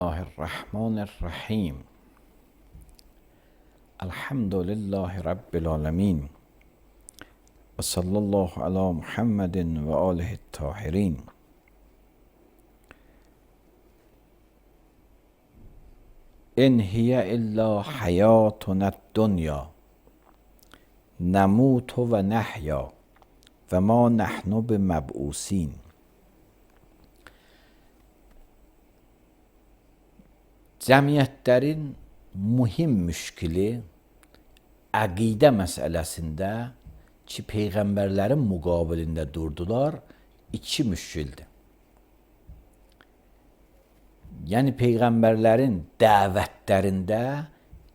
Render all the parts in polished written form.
Bismillahirrahmanirrahim. Elhamdülillahi Rabbil alemin. Ve sallallahu ala Muhammedin ve alihi tahirin. İn hiye illa hayatuna dünya. Nemutu ve nehya. Ve ma nahnu bimeb'usin. Cəmiyyətlərin mühim müşkili əqidə məsələsində ki, peyğəmbərlərin müqabilində durdular, iki müşkildir. Yəni, peyğəmbərlərin dəvətlərində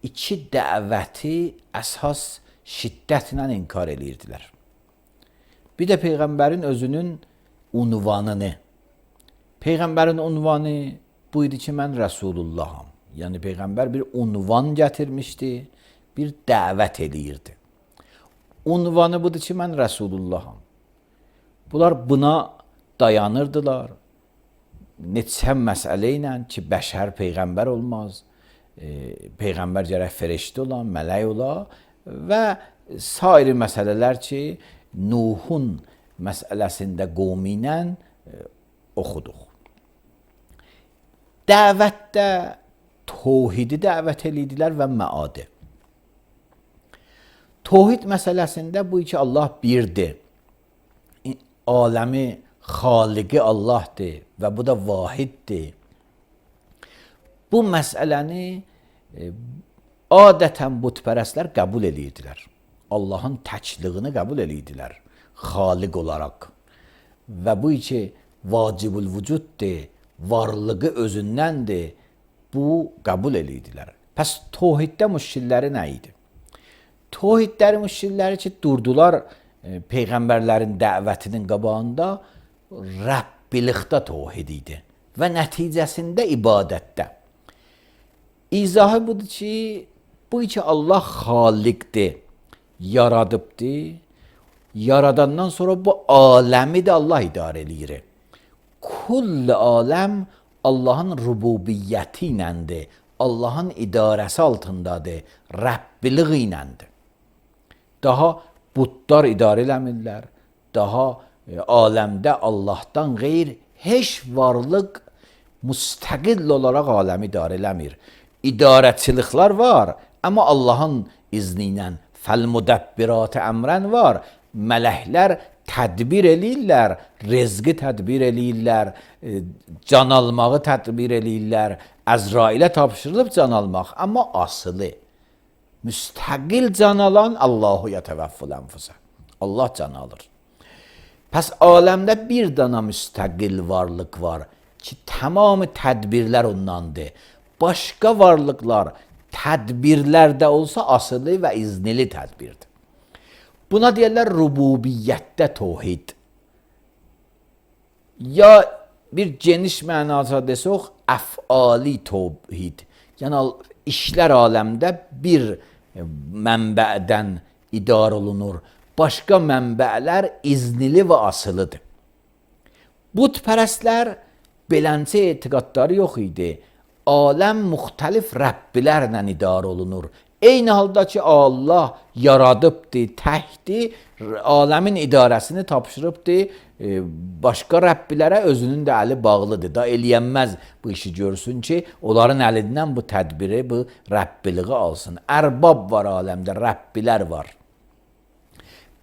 iki dəvəti əsas şiddətlə inkar edirdilər. Bir də peyğəmbərin özünün unvanını. Peyğəmbərin unvanı bu idi ki, mən Rəsulullaham. Yəni, Peyğəmbər bir unvan gətirmişdi, bir dəvət eləyirdi. Unvanı budur ki, mən Rəsulullaham. Bunlar buna dayanırdılar. Neçə məsələ ilə ki, bəşər Peyğəmbər olmaz, Peyğəmbər gərək feriştə olan, mələk ola və sair məsələlər ki, Nuhun məsələsində qovmi ilə oxuduq. Dəvətdə tohidi dəvət edirdilər və məadi. Tohid məsələsində bu ki, Allah birdir. Aləmi xaliqi Allahdır və bu da vahiddir. Bu məsələni adətən bütpərəstlər qəbul edirdilər. Allahın təkliyini qəbul edirdilər xaliq olaraq. Və bu ki, vacibül vücuddur, varlığı özündəndir, bu qəbul edirdilər. Pəs tohiddə müşkilləri nə idi? Tohidlərin müşkilləri ki, durdular peyğəmbərlərin dəvətinin qabağında Rəbbilikdə tohid idi və nəticəsində ibadətdə. İzahı budur ki, bu ki, Allah xaliqdir, yaradıbdır, yaradandan sonra bu aləmi də Allah idarə edir. Kull aləm Allahın rububiyyəti iləndir, Allahın idarəsi altındadır, Rəbbiliği iləndir. Daha budlar idarə eləmirlər, daha aləmdə Allahdan qeyr heç varlıq müstəqil olaraq aləmi idarə eləmir. İdarəçiliklər var, amma Allahın izni ilə fəl-müdəbbirat əmrən var, mələklər tədbir eləyirlər, rezqi tədbir eləyirlər, can almağı tədbir eləyirlər, Əzrailə tapşırılıb can almaq, amma asılı, müstəqil can alan Allahu yətəvəffül ənfusə. Allah can alır. Pəs aləmdə bir dana müstəqil varlıq var ki, tamamı tədbirlər ondandır. Başqa varlıqlar tədbirlərdə olsa asılı və iznili tədbirdir. Buna deyirlər rububiyyətdə tohid. Ya bir geniş mənada desək, əfali tohid. Yəni, işlər aləmdə bir mənbədən idarə olunur. Başqa mənbələr iznili və asılıdır. Bütpərəstlər beləncə etiqadları yox idi. Aləm müxtəlif Rəbbilərlə idarə olunur. Eyni halda ki, Allah yaradıbdır, təkdir, aləmin idarəsini tapşırıbdır, başqa Rəbbilərə özünün də əli bağlıdır. Da eləyənməz bu işi görsün ki, onların əlindən bu tədbiri, bu Rəbbiliği alsın. Ərbab var aləmdə, Rəbbilər var.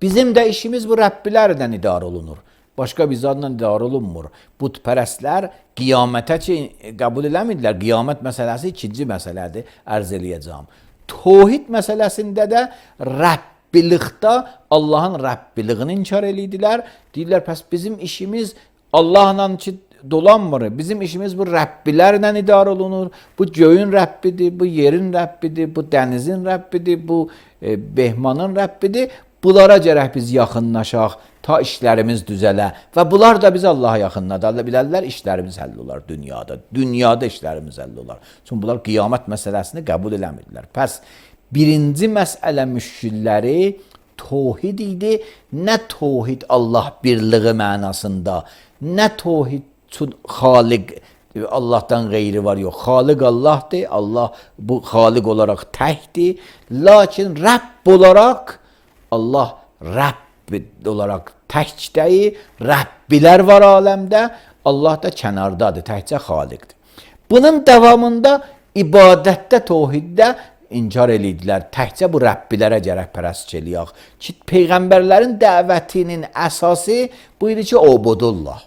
Bizim də işimiz bu Rəbbilərlə idarə olunur. Başqa bir zadla idarə olunmur. Bütpərəstlər qiyamətə ki, qəbul eləmirlər. Qiyamət məsələsi ikinci məsələdir, ərz eləyəcəm. Tohid məsələsində də Rəbbilikdə Allahın Rəbbiliğini inkar edirdilər. Deyirlər, pəs bizim işimiz Allahla ki, dolanmır. Bizim işimiz bu Rəbbilərlə idarə olunur. Bu göyün Rəbbidir, bu yerin Rəbbidir, bu dənizin Rəbbidir, bu Behmanın Rəbbidir. Bunlara gərək biz yaxınlaşaq, ta işlərimiz düzələ və bunlar da biz Allaha yaxınlada bilərlər, işlərimiz həll olar dünyada. Dünyada işlərimiz həll olar. Çünki bunlar qiyamət məsələsini qəbul eləmirlər. Pəs, birinci məsələ müşkilləri tohid idi. Nə tohid Allah birliği mənasında, nə tohid xaliq Allah'tan gayri var yok. Halik Allah'tır. Allah bu halik olarak tektir. Lakin Rabb olarak Allah Rabb olarak tek değil. Rabbiler var alemde. Allah da kenardadır. Tekçe haliktir. Bunun devamında ibadette, tevhiddə inkar edirdilər. Təkcə bu Rəbbilərə gərək pərəstlik eləyək. Ki, Peyğəmbərlərin dəvətinin əsası bu idi ki, obudullah.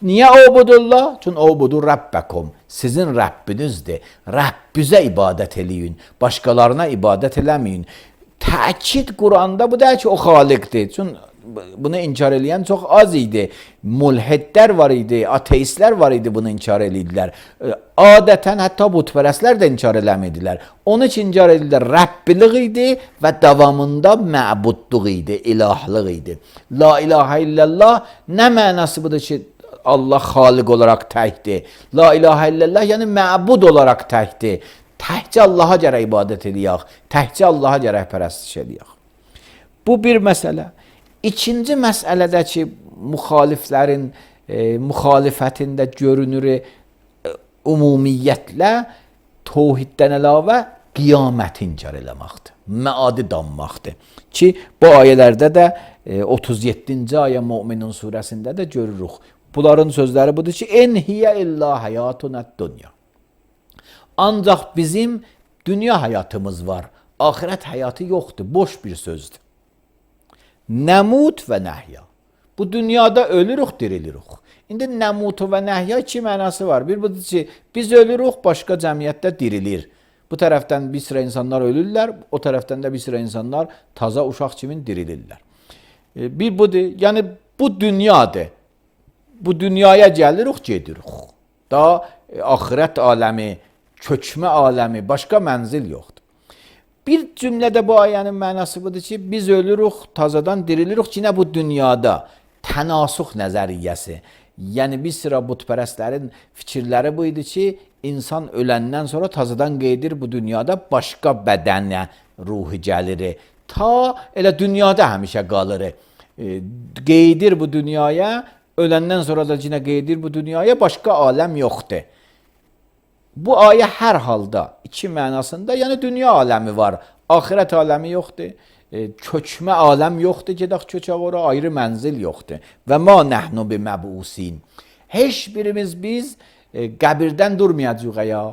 Niyə obudullah? Çünki obudur Rəbbəkum. Sizin Rəbbinizdir. Rəbbizə ibadət eləyin. Başqalarına ibadət eləməyin. Təkid Quranda bu deyil ki, o xaliqdir. Çünki bunu inkar eləyən çox az idi. Mulhidlər var idi, ateistlər var idi, bunu inkar edirdilər. Adətən hətta butpərəstlər də inkar eləmirdilər. Onun için inkar edirdilər. Rəbbilik idi və davamında məbudluq idi, ilahlıq idi. La ilahə illallah nə mənası budur ki, Allah xaliq olaraq təkdir. La ilahə illallah yəni məbud olaraq təkdir. Təkcə Allaha gərək ibadət eləyək. Təkcə Allaha gərək pərəstiş eləyək. Bu bir məsələ. İkinci məsələdəki müxaliflərin müxalifətində görünür ümumiyyətlə tevhiddən əlavə qiyaməti inkar eləməkdir. Məadi danmaqdır. Ki, bu ayələrdə də 37-ci ayə Möminun surəsində də görürük. Bunların sözləri budur ki, en hiyə illa həyatunət dünya. Ancaq bizim dünya həyatımız var. Ahirət həyatı yoxdur. Boş bir sözdür. Nəmut və nəhya. Bu dünyada ölürük, dirilirik. İndi nəmut və nəhya iki mənası var. Bir budur ki, biz ölürük, başqa cəmiyyətdə dirilir. Bu tərəfdən bir sıra insanlar ölürlər, o tərəfdən də bir sıra insanlar taza uşaq kimi dirilirlər. Bir budur, yəni bu dünyadır. Bu dünyaya gəlirik, gedirik. Daha ahirət aləmi, köçmə aləmi, başqa mənzil yoxdur. Bir cümlədə bu ayənin mənası budur ki, biz ölürük, tazadan dirilirik ki, nə bu dünyada tənasuq nəzəriyyəsi. Yəni bir sıra butpərəstlərin fikirləri bu idi ki, insan öləndən sonra tazadan qeydir bu dünyada başqa bədənə ruhu gəlir. Ta elə dünyada həmişə qalır. Qeydir bu dünyaya, öləndən sonra da yenə qeydir bu dünyaya, başqa aləm yoxdur. Bu ayə hər halda iki mənasında, yəni dünya aləmi var, ahirət aləmi yoxdur, köçmə aləm yoxdur, gedək köçək ora, ayrı mənzil yoxdur. Və ma nəhnu biməbusin. Heç birimiz biz qəbirdən durmayacaq ya.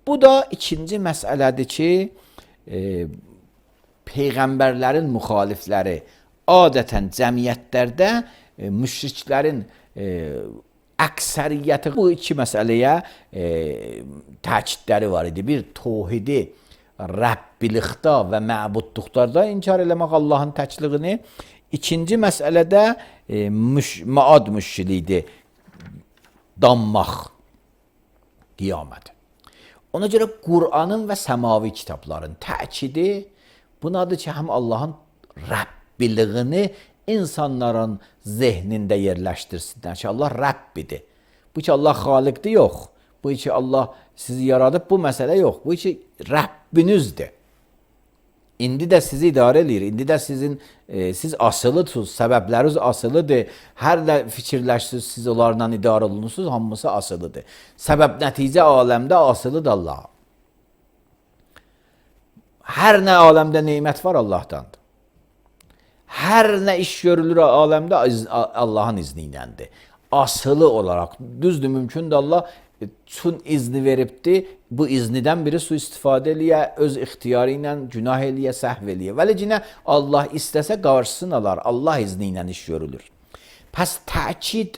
Bu da ikinci məsələdir ki, Peyğəmbərlərin müxalifləri adətən cəmiyyətlərdə müşriklərin əksəriyyəti bu iki məsələyə təkidləri var idi. Bir, tevhidi Rəbbilikdə və məbudluqda inkar eləmək Allahın təkliğini. İkinci məsələdə maad müşkilidir. Danmaq, qiyamət. Ona görə Qur'anın və səmavi kitabların təkidi bunadır ki, həm Allahın Rəbbiliyini insanların zehnində yerləşdirsinlər ki, Allah Rəbbidir. Bu ki, Allah xaliqdir, yox. Bu ki, Allah sizi yaradıb, bu məsələ yox. Bu ki, Rəbbinizdir. İndi də sizi idarə edir. İndi də siz asılıdınız, səbəbləriniz asılıdır. Hər nə fikirləşsiniz, siz onlarla idarə olunursunuz, hamısı asılıdır. Səbəb nəticə aləmdə asılıdır Allah. Hər nə aləmdə neymət var Allahdandır. Hər nə iş görülür aləmdə Allahın izni iləndir. Asılı olaraq, düzdür, mümkündür Allah çün izni veribdir, bu iznidən biri suistifadə eləyə, öz ixtiyarı ilə günah eləyə, səhv eləyə. Vəlicinə Allah istəsə qarşısını alar, Allah izni ilə iş görülür. Pəs təkid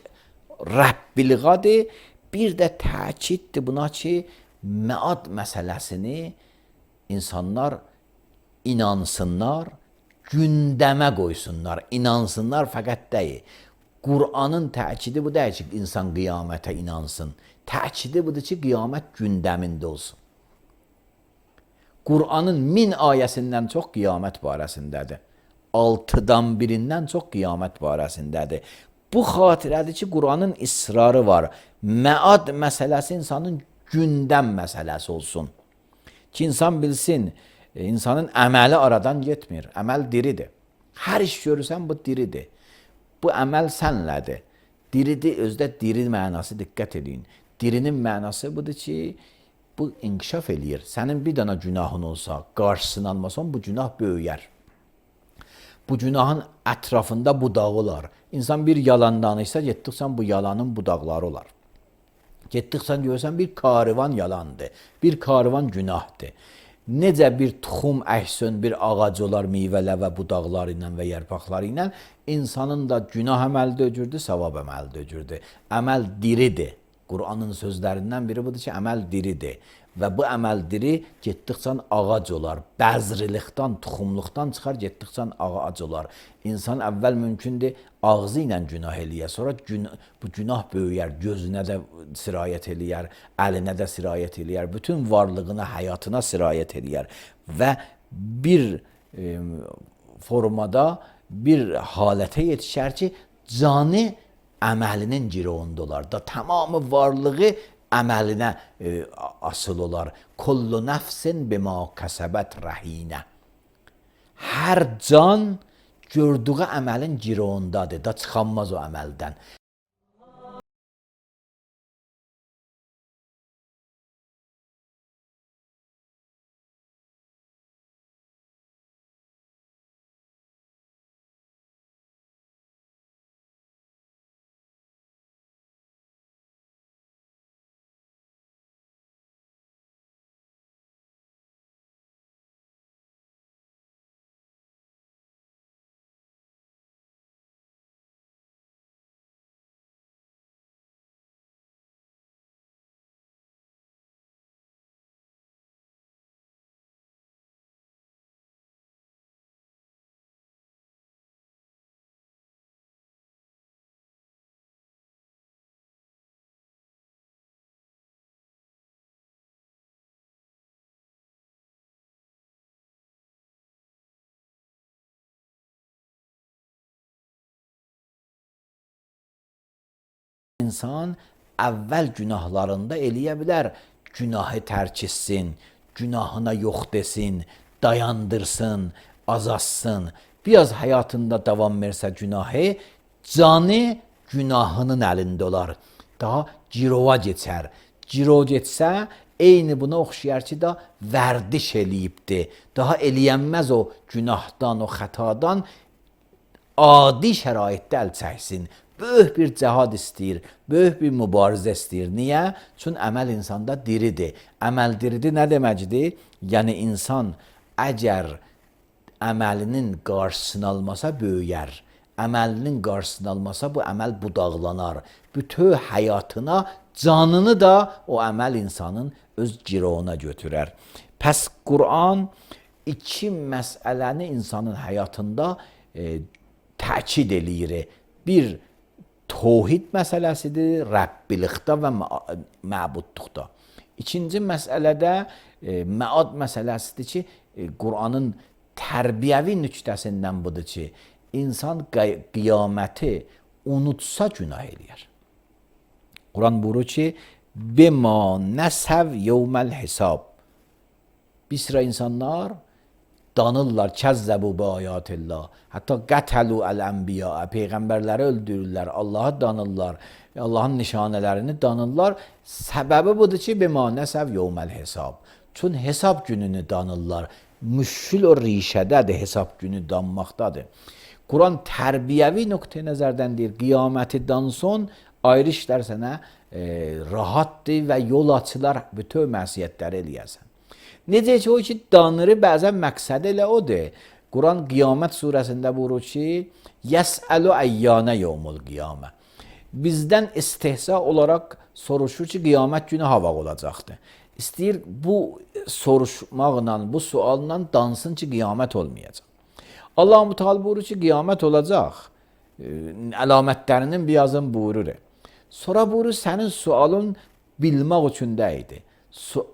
Rəbbiliğadır, bir də təkiddir buna ki, məad məsələsini insanlar inansınlar, gündəmə qoysunlar, inansınlar fəqət deyil. Qur'anın təkidi bu deyil ki, insan qiyamətə inansın. Təkidi budur ki, qiyamət gündəmində olsun. Qur'anın 1000 ayəsindən çox qiyamət barəsindədir. 6-dan birindən çox qiyamət barəsindədir. Bu xatirədir ki, Qur'anın israrı var. Məad məsələsi insanın gündəm məsələsi olsun. Ki, insan bilsin, insanın əməli aradan getmir. Əməl diridir. Hər iş görürsən, bu diridir. Bu əməl sənlədir. Diridir, özdə diri mənası, diqqət edin. Dirinin mənası budur ki, bu inkişaf eləyir. Sənin bir dana günahın olsa, qarşısını almasan, bu günah böyüyər. Bu günahın ətrafında budağı olar. İnsan bir yalan danışsa, getdiksən bu yalanın budaqları olar. Getdiksən görürsən bir karvan yalandır, bir karvan günahdır. Necə bir tuxum əhsən bir ağac olar meyvələ və budaqları ilə və yarpaqları ilə, insanın da günah əməli də öcürdü, savab əməli də öcürdü. Əməl diridir. Qur'anın sözlərindən biri budur ki, əməl diridir. Və bu əməl diri getdikcən ağac olar. Bəzrilikdən, tuxumluqdan çıxar, getdikcən ağac olar. İnsan əvvəl mümkündür ağzı ilə günah eləyə, sonra bu günah böyüyər, gözünə də sirayət eləyər, əlinə də sirayət eləyər, bütün varlığına, həyatına sirayət eləyər və bir formada, bir halətə yetişər ki, canı əməlinin girovunda olar da, tamamı varlığı əməlinə asıl olar. Kullu nəfsin bima kəsəbət rəhinə. Hər can gördüyü əməlin girovundadır, da çıxanmaz o əməldən. İnsan əvvəl günahlarında eləyə bilər, günahı tərk etsin, günahına yox desin, dayandırsın, azalsın. Biraz həyatında davam versə günahı, canı günahının əlində olar. Daha girova geçər. Girov getsə, eyni buna oxşayar ki, da vərdiş eləyibdir. Daha eləyənməz o günahdan, o xətadan adi şəraitdə əl çəksin. Böyük bir cəhad istəyir, böyük bir mübarizə istəyir. Niyə? Çünki əməl insanda diridir. Əməl diridir nə deməkdir? Yəni insan əgər əməlinin qarşısını almasa böyüyər. Əməlinin qarşısını almasa bu əməl budaqlanar. Bütün həyatına, canını da o əməl insanın öz girovuna götürər. Pəs Qur'an iki məsələni insanın həyatında təkid eləyir. Bir, tohid məsələsidir, Rəbbilikdə və məbudluqda. İkinci məsələdə məad məsələsidir ki, Qur'anın tərbiyəvi nüqtəsindən budur ki, insan qiyaməti unutsa günah eləyər. Quran buyurur ki, bima nəsəv yevməl hesab. Bir sıra insanlar danırlar, kəzzəbu bi ayatillah. Hətta qətəlu əl-ənbiya, peyğəmbərləri öldürürlər, Allahı danırlar, Allahın nişanələrini danırlar. Səbəbi budur ki, bima nəsəv yevməl hesab. Çünki hesab gününü danırlar. Müşkül o rişədədir, hesab günü danmaqdadır. Quran tərbiyəvi nöqteyi nəzərdən deyir, qiyaməti danson, ayrı işlər sənə rahatdır və yol açılar bütün məsiyyətləri eləyəsən. Necə ki, o ki, danırı bəzən məqsədi elə odur. Quran Qiyamət surəsində buyurur ki, yəsəlu əyyanə yevmul qiyamə. Bizdən istehza olaraq soruşur ki, qiyamət günü hava olacaqdır. İstəyir bu soruşmaqla, bu sualla dansın ki, qiyamət olmayacaq. Allah-u Teala buyurur ki, qiyamət olacaq. Əlamətlərinin birazını buyurur. Sonra buyurur, sənin sualın bilmək üçün də idi.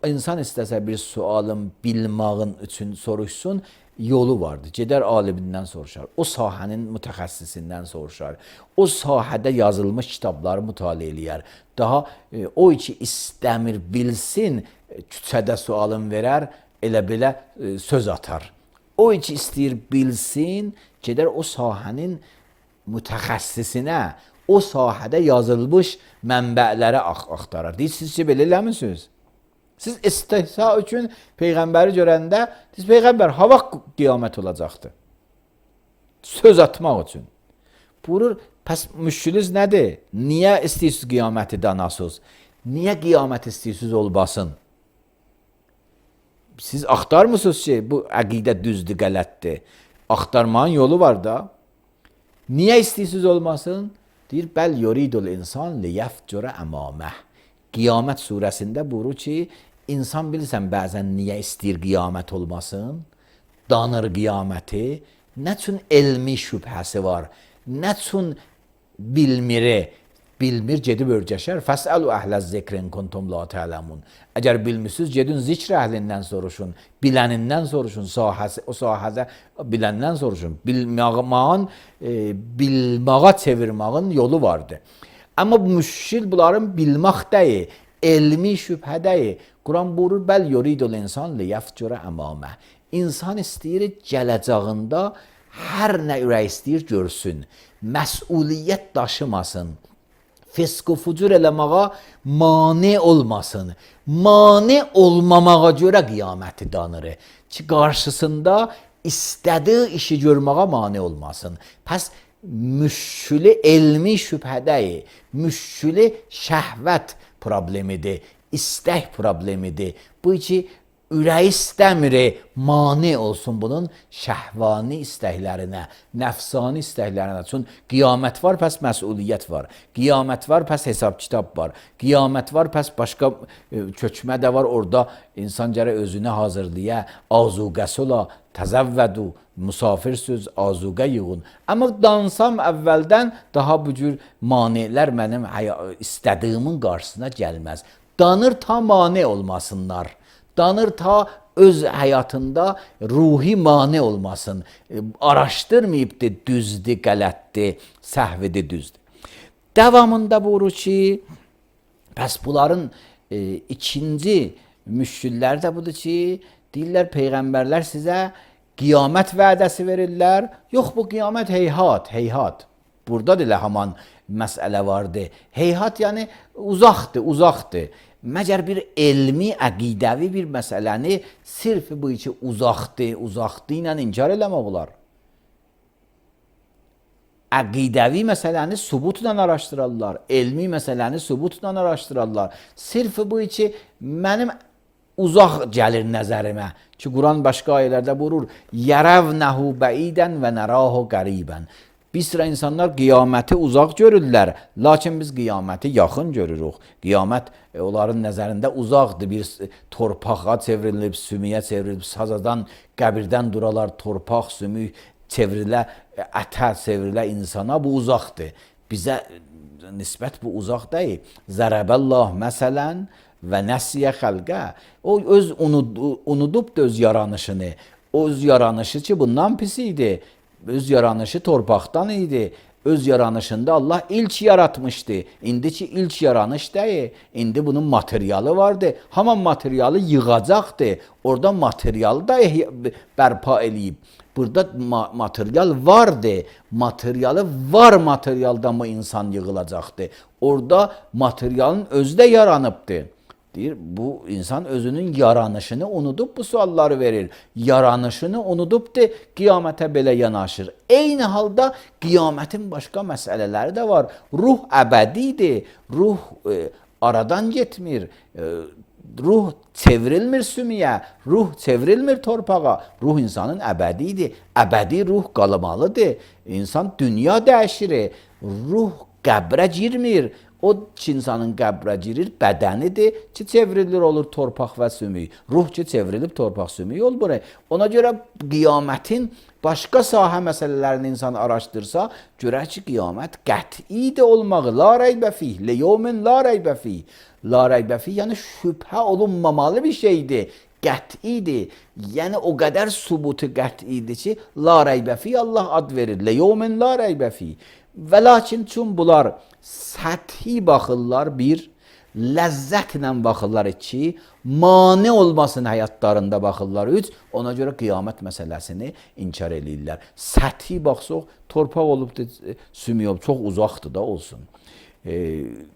İnsan istəsə bir sualın bilmağın üçün soruşsun, yolu vardır. Gedər alimindən soruşar, o sahənin mütəxəssisindən soruşar, o sahədə yazılmış kitabları mütaliə eləyər. Daha o ki istəmir bilsin, küçədə sualın verər, elə belə söz atar. O ki istəyir bilsin, gedər o sahənin mütəxəssisinə, o sahədə yazılmış mənbələri axtarır. Siz belə eləmisiniz? Siz istihza üçün Peyğəmbəri görəndə, siz Peyğəmbər, ha vaxt qiyamət olacaqdır? Söz atmaq üçün. Buyurur, pəs müşkülünüz nədir? Niyə istəyirsiniz qiyaməti danasınız? Niyə qiyamət istəyirsiniz olmasın? Siz axtarmısınız ki, bu əqidə düzdür, qələtdir. Axtarmanın yolu var da. Niyə istəyirsiniz olmasın? Deyir, bəl yuridul insan liyəfcura əmaməh. Qiyamət surəsində buyurur ki, insan bilirsən bəzən niyə istəyir qiyamət olmasın? Danır qiyaməti. Nə üçün elmi şübhəsi var? Nə üçün bilmiri? Bilmir, gedib örgəşər. Fəsəlu əhləz zikrin kuntum la tə'ləmun. Əgər bilmirsiniz, gedin zikr əhlindən soruşun, bilənindən soruşun, o sahədə biləndən soruşun. Bilmağa çevirmağın yolu vardır. Amma müşkil bunların bilmək deyil, elmi şübhə deyil. Quran buyurur, bəl yuridul insan liyəfcura əmamə. İnsan istəyir, gələcəyində hər nə ürək istəyir görsün. Məsuliyyət daşımasın. Fisq və fucur eləməyə mane olmasın. Mane olmamağa görə qiyaməti danır. Ki, qarşısında istədiyi işi görməyə mane olmasın. Pəs müşkülü elmi şübhədəyi, müşkülü şəhvət problemidir, istək problemidir. Bu ki, ürəyi istəmir, mane olsun bunun şəhvani istəklərinə, nəfsani istəklərinə. Çünki qiyamət var, pəs məsuliyyət var. Qiyamət var, pəs hesab kitab var. Qiyamət var, pəs başqa köçmə də var. Orada insan gərək özünü hazırlaya, azuqəsi ola, təzəvvədu, müsafirsüz, azuqə yığın. Amma dansam əvvəldən daha bu cür manelər mənim istədiyimin qarşısına gəlməz. Danır ta mane olmasınlar. Danır ta öz həyatında ruhi mane olmasın. Araşdırmayıbdır, düzdür, qələtdir, səhvidir, düzdür. Davamında buyurur ki, pəs bunların ikinci müşkülləri də budur ki, deyirlər, Peyğəmbərlər sizə qiyamət vədəsi verirlər. Yox, bu qiyamət heyhat, heyhat. Burada da haman məsələ vardır. Heyhat yəni uzaqdır, uzaqdır. Məgər bir elmi, əqidəvi bir məsələni sırf bu içi uzaqdır, uzaqdır ilə inkar eləmək olar. Əqidəvi məsələni sübutla araşdırırlar, elmi məsələni sübutla araşdırırlar. Sırf bu içi mənim uzaq gəlir nəzərimə. Ki, Quran başqa ayələrdə buyurur, yərəvnəhu bəidən və nərəhu qəribən. Bir sıra insanlar qiyaməti uzaq görürlər, lakin biz qiyaməti yaxın görürük. Qiyamət onların nəzərində uzaqdır, bir torpağa çevrilib, sümüyə çevrilib, sazadan, qəbirdən duralar, torpaq, sümük çevrilə, ətə çevrilə insana, bu uzaqdır. Bizə nisbət bu uzaq deyil. Zərəbəllah məsələn və nəsiyə xəlqə. O öz unudubdur öz yaranışını. O öz yaranışı ki, bundan pis idi. Öz yaranışı torpaqdan idi. Öz yaranışında Allah ilk yaratmışdı. İndiki ilk yaranış deyil. İndi bunun materialı vardı. Haman materialı yığacaqdı. Orada materialı da bərpa eləyib. Burada material vardı. Materialı var materialdan mı insan yığılacaqdı. Orada materialın özü də yaranıbdı. Deyir, bu insan özünün yaranışını unudub bu sualları verir. Yaranışını unudub de qiyamətə belə yanaşır. Eyni halda qiyamətin başqa məsələləri də var. Ruh əbədidir. Ruh aradan getmir. Ruh çevrilmir sümüyə. Ruh çevrilmir torpağa. Ruh insanın əbədidir. Əbədi ruh qalmalıdır. İnsan dünya dəyişir. Ruh qəbrə girmir. O ki, insanın qəbrə girir, bədənidir ki, çevrilir olur torpaq və sümük. Ruh ki, çevrilib torpaq sümük olur. Ona görə qiyamətin başqa sahə məsələlərini insan araşdırsa, görək ki, qiyamət qəti də olmağı, la reybə fih, liyevmin la reybə fih. La reybə fih, yəni şübhə olunmamalı bir şeydir. Qətidir. Yəni o qədər sübutu qətidir ki, la reybə fih Allah ad verir. Liyevmin la reybə fih. Və lakin çün bunlar səthi baxırlar bir, ləzzətlə baxırlar 2, mane olmasın həyatlarında baxırlar 3, ona görə qiyamət məsələsini inkar eləyirlər. Səthi baxsaq, torpaq olub da sümüyüb, çox uzaqdır da olsun.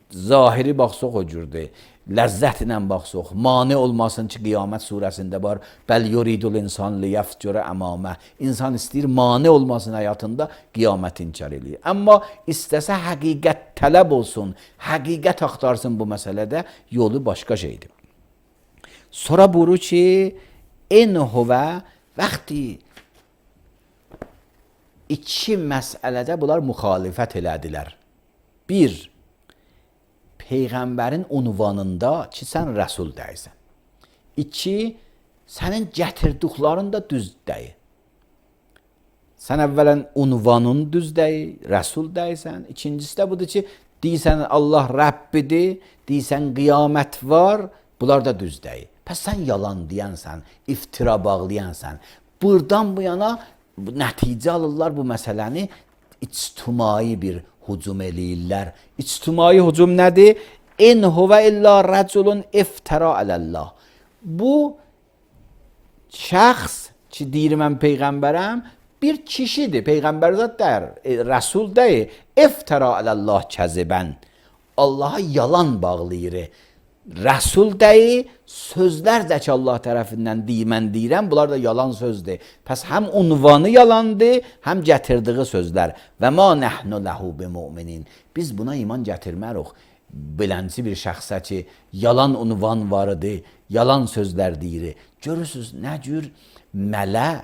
Zahiri baxsaq o cürdür. Ləzzətlə baxsaq, mane olmasın ki, Qiyamət surəsində var. Bəl yuridul insan liyəfcürə əmamə. İnsan istəyir, mane olmasın həyatında, qiyamət inkar eləyir. Amma istəsə həqiqət tələb olsun, həqiqət axtarsın bu məsələdə, yolu başqa şeydir. Sonra buyurur ki, en huvə vaxti iki məsələdə bunlar müxalifət elədilər. Bir, Peyğəmbərin unvanında ki, sən rəsul deyirsən. 2, sənin gətirdiklərin də düz deyil. Sən əvvələn unvanın düz deyil, rəsul deyirsən. İkincisi də budur ki, deyirsən Allah Rəbbidir, deyirsən qiyamət var, bunlar da düz deyil. Pəs sən yalan deyənsən, iftira bağlayansən. Buradan bu yana nəticə alırlar bu məsələni ictimai bir hücum eləyirlər. İctimai hücum nədir? İn huvə illa rəculun iftara aləllah. Bu şəxs ki, deyir mən Peyğəmbərəm, bir kişidir. Peyğəmbər zat deyir, rəsul deyir. İftara aləllah kəzibən. Allaha yalan bağlayır. Rəsul deyir, sözlər də ki, Allah tərəfindən mən deyirəm, bunlar da yalan sözdür. Pəs həm unvanı yalandır, həm gətirdiyi sözlər. Və ma nəhnu ləhu bimuminin. Biz buna iman gətirmərik. Bilənci bir şəxsə ki, yalan unvan var idi, yalan sözlər deyir. Görürsünüz, nə cür mələ,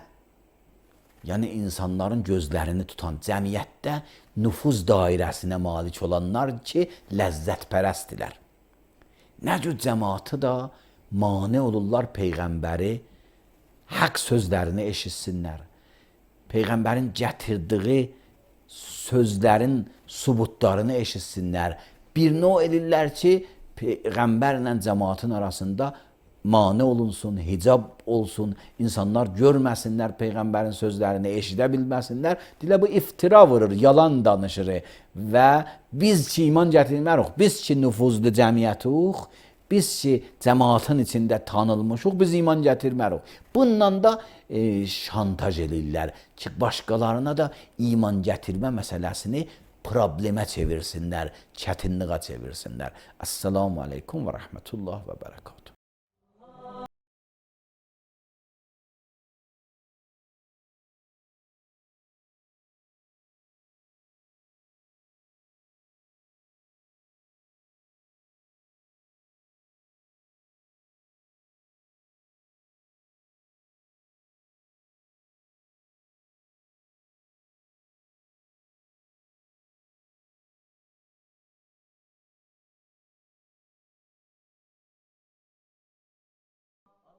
yəni insanların gözlərini tutan cəmiyyətdə nüfuz dairəsinə malik olanlar ki, ləzzətpərəstdirlər. Nə cür cəmaatı da mane olurlar Peyğəmbəri haqq sözlərini eşitsinlər. Peyğəmbərin gətirdiyi sözlərin subutlarını eşitsinlər. Bir növ edirlər ki, Peyğəmbərlə cəmaatın arasında mane olunsun, hicab olsun, insanlar görməsinlər Peyğəmbərin sözlərini, eşidə bilməsinlər. Dilə bu iftira vurur, yalan danışır və biz ki iman gətirmərik, biz ki nüfuzlu cəmiyyətiyik, biz ki cəmaatın içində tanınmışıq, biz iman gətirmərik. Bununla da şantaj edirlər ki, başqalarına da iman gətirmə məsələsini problemə çevirsinlər, çətinliyə çevirsinlər. Assalamu aleykum və rəhmətullah və bərəkatuhu.